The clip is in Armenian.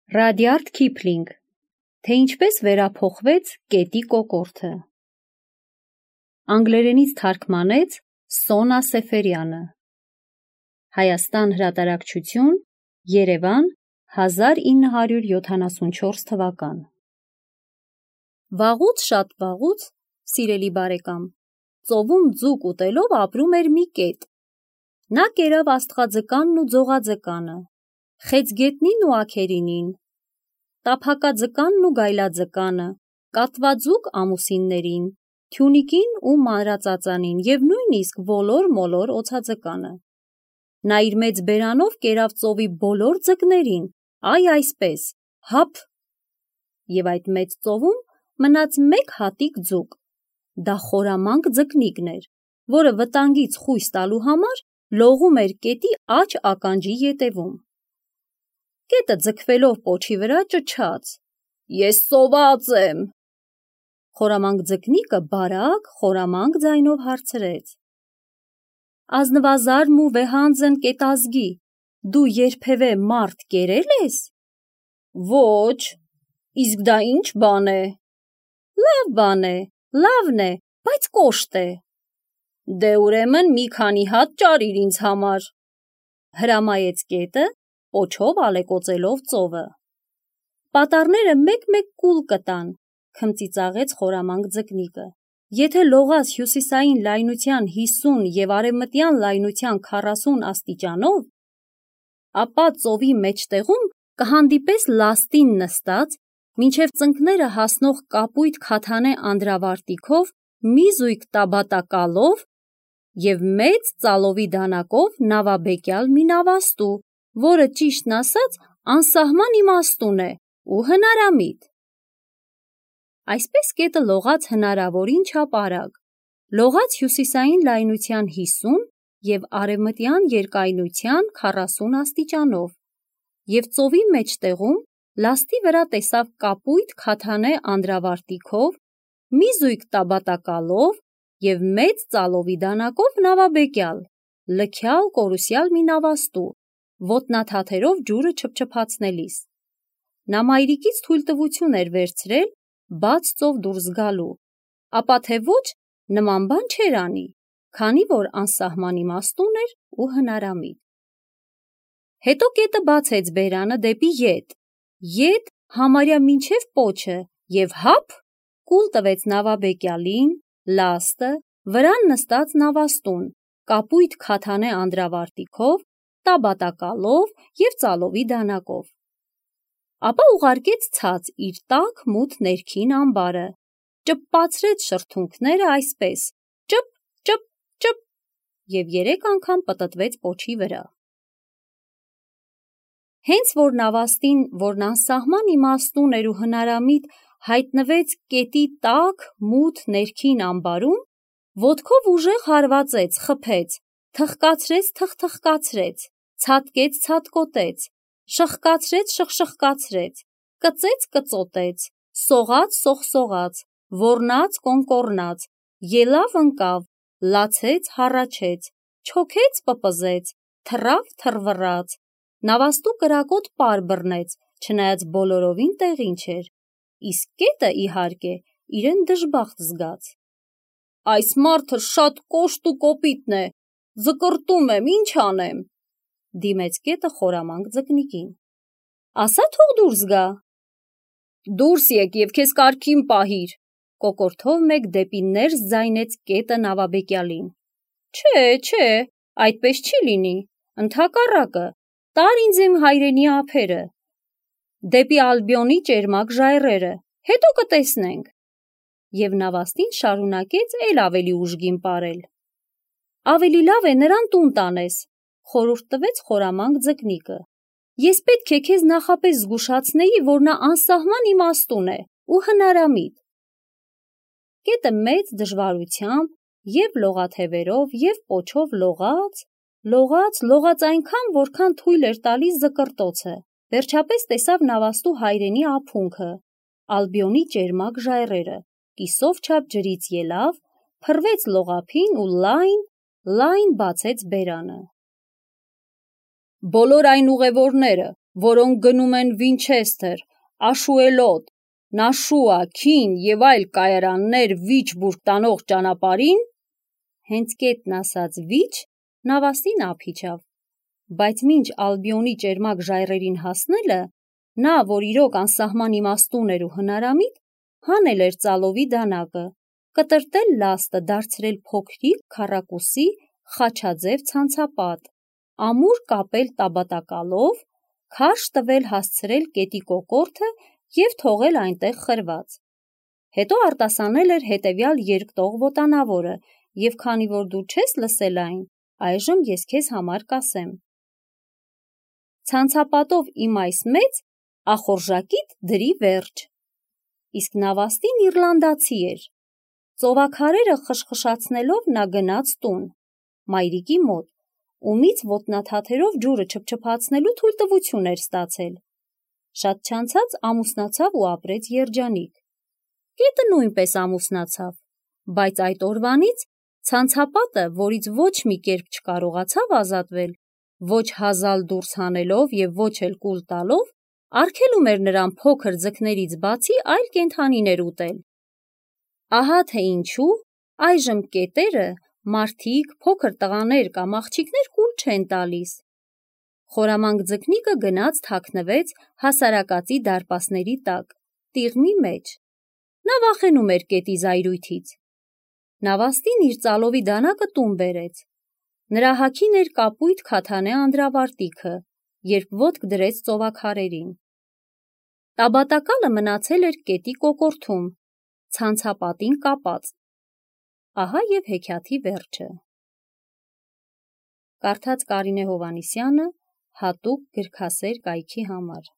Ռադիարդ Քիփլինգ, թե ինչպես վերափոխվեց կետի կոկորդը։ Անգլերենից թարգմանեց Սոնա Սեֆերյանը։ Հայաստան հրատարակչություն, Երևան, 1974 թվական։ Վաղուց, շատ վաղուց, սիրելի բարեկամ, ծովում ձուկ ուտելով ապրում էր մի կետ։ Նա կերավ աստղաձկանն ու ձողաձկանը, խեցգետնին ու աքերինին, տափակաձկանն ու գայլաձկանը, կատվաձուկ ամուսիններին, թյունիկին ու մանրածածանին և նույնիսկ ոլոր-մոլոր օձաձկանը։ Նա իր մեծ բերանով կերավ ծովի բոլոր ձկներին, այ այսպես, հափ, և այդ մեծ ծովում մնաց մեկ հատիկ ձուկ։ Դա խորամանկ ձկնիկն էր, որը վտանգից խույս տալու համար լողում էր կետի աջ ականջի ետևում։ Կետը ձգվելով պոչի վրա ճչաց. «Ես ծոված եմ»։ Խորամանկ ձկնիկը բարակ, խորամանկ ձայնով հարցրեց. «Ազնվազարմ ու վեհանձն կետազգի, դու երբևէ մարդ կերել ես»։ «Ոչ, իսկ դա ինչ բան է»։ «Լավ բան է, լավն է, բայց կոշտ է»։ «Դե ուրեմն մի քանի հատ ճարիր ինձ համար», հրամայեց կետը, պոչով ալեկոծելով ծովը։ «Պատառները մեկ-մեկ կուլ կտան», քմծիծաղեց խորամանկ ձկնիկը։ «Եթե լողաս հյուսիսային լայնության 50 և արևմտյան լայնության 40 աստիճանով, ապա ծովի մեջտեղում կհանդիպես լաստին նստած, մինչև ծնկները հասնող կապույտ քաթանե անդրավարտիքով մի զույգ տաբատակալով և մեծ ծալովի դանակով նավաբեկյալ մի նավաստու, որը, ճիշտն ասած, անսահման իմաստուն է ու հնարամիտ»։ Այսպես կետը լողաց հնարավորին չափ արագ, լողաց հյուսիսային լայնության 50 և արևմտյան երկայնության 40 աստիճանով և ծովի մեջտեղում լաստի վրա տեսավ կապույտ քաթանե անդրավարտիքով, մի զույգ տաբատակալով և մեծ ծալովի դանակով նավաբեկյալ, լքյալ կորուսյալ մի նավաստու, ոտնաթաթերով ջուրը չփչփացնելիս։ Նա մայրիկից թույլտվություն էր վերցրել բաց ծով դուրս գալու, ապա թե ոչ նման բան չէր անի, քանի որ անսահման իմաստուն էր ու հնարամիտ։ Հետո կետը բացեց բերանը դեպի ետ համարյա մինչև պոչը և հափ, կուլ տվեց նավաբեկյալին, լաստը, վրան նստած նավաստուն, կապույտ քաթանե անդրավարտիքով, տաբատակալով և ծալովի դանակով։ Ապա ուղարկեց ցած իր տաք մութ ներքին ամբարը, ճպպացրեց շրթունքները այսպես՝ ճպ, ճպ, ճպ, և 3 անգամ պտտվեց պոչի վրա։ Հենց որ նավաստին, որն անսահման իմաստուն էր ու հնարամիտ, հայտնվեց կետի տաք մութ ներքին ամբարում, ոտքով ուժեղ հարվածեց, խփեց, թխկացրեց, թխթխկացրեց, ցատկեց, ցատկոտեց, շխկացրեց, շխշխկացրեց, կծեց, կծոտեց, սողաց, սողսողաց, ոռնաց, կոնկոռնաց, ելավ, ընկավ, լացեց, հառաչեց, չոքեց, պպզեց, թռավ, թռվռաց, նավաստու կրակոտ պար բռնեց, չնայած բոլորովին տեղին չէր, իսկ կետը, իհարկե, իրեն դժբախտ զգաց։ «Այս մարդը շատ կոշտ ու կոպիտ է, ձկրտում եմ, ինչ անեմ», դիմեց կետը խորամանկ ձկնիկին։ «Ասա թող դուրս գա»։ «Դուրս եկ և քեզ կարգին պահիր», կոկորդով մեկ դեպի ներս ձայնեց կետը նավաբեկյալին։ Չէ, այդպես չի լինի, ընդհակառակը, տար ինձ իմ հայրենի ափերը, դեպի Ալբիոնի ճերմակ ժայռերը, հետո կտեսնենք։ Եվ նավաստին շարունակեց էլ ավելի ուժգին պարել։ «Ավելի լավ է նրան տուն տանես», խորհուրդ տվեց խորամանկ ձկնիկը։ «Ես պետք է քեզ նախապես զգուշացնեի, որ նա անսահման իմաստուն է ու հնարամիտ»։ Կետը մեծ դժվարությամբ և լողաթևերով և պոչով լողաց այնքան, որքան թույլ էր տալիս զկրտոցը, վերջապես տեսավ նավաստու հայրենի ափունքը, Ալբիոնի ճերմակ ժայռերը, կիսով չափ ջրից ելավ, փռվեց լողափին ու լայն բացեց բերանը։ «Բոլոր այն ուղևորները, որոնք գնում են Վինչեսթեր, Աշուելոտ, Նաշուա, Քին և այլ կայարաններ վիճ բուրգ տանող ճանապարհին, հենց կետն ասած վիճ, Նավաստին ափ իջավ, բայց մինչ Ալբիոնի ճերմակ ժայռերին հասնելը, նա, որ իրոք անսահման իմաստուն էր ու հնարամիտ, հանել էր ծալովի դանակը, կտրտել լաստը, դարձրել փոքրիկ քառակուսի խաչաձև ցանցապատ, ամուր կապել տաբատակալով, քարշ տվել հասցրել կետի կոկորդը և թողել այնտեղ խրված։ Հետո արտասանել էր հետևյալ երկտող ոտանավորը, և քանի որ դու չես լսել այն, այժմ ես քեզ համար կասեմ. ցանցապատով իմ այս մեծ ախորժակիդ դրի վերջ։ Իսկ Նավաստին իռլանդացի էր։ Ծովաքարերը խշխշացնելով նա գնաց տուն, մայրիկի մոտ, ումից ոտնաթաթերով ջուրը չփչփացնելու թույլտվություն էր ստացել։ Շատ չանցած ամուսնացավ ու ապրեց երջանիկ։ Կետը նույնպես ամուսնացավ, բայց այդ օրվանից ցանցապատը, որից ոչ մի կերպ չկարողացավ ազատվել, ոչ հազալ դուրս հանելով և ոչ էլ կուլ տալով, արգելում էր նրան փոքր ձկներից բացի այլ կենդանիներ ուտել։ Ահա թե ինչու այժմ կետերը մարդիկ, փոքր տղաներ կամ աղջիկներ կուլ չեն տալիս։ Խորամանկ ձկնիկը գնաց թաքնվեց հասարակածի դարպասների տակ, տիղմի մեջ։ Նա վախենում էր կետի զայրույթից։ Նավաստին իր ծալովի դանակը տուն բերեց։ Նրա հագին էր կապույտ քաթանե անդրավարտիքը, երբ ոտք դրեց ծովաքարերին։ Տաբատակալը մնացել էր կետի կոկորդում, ցանցապատին կապած։ Ահա և հեքիաթի վերջը։ Կարդաց Կարինե Հովհաննիսյանը հատուկ գրքասեր կայքի համար։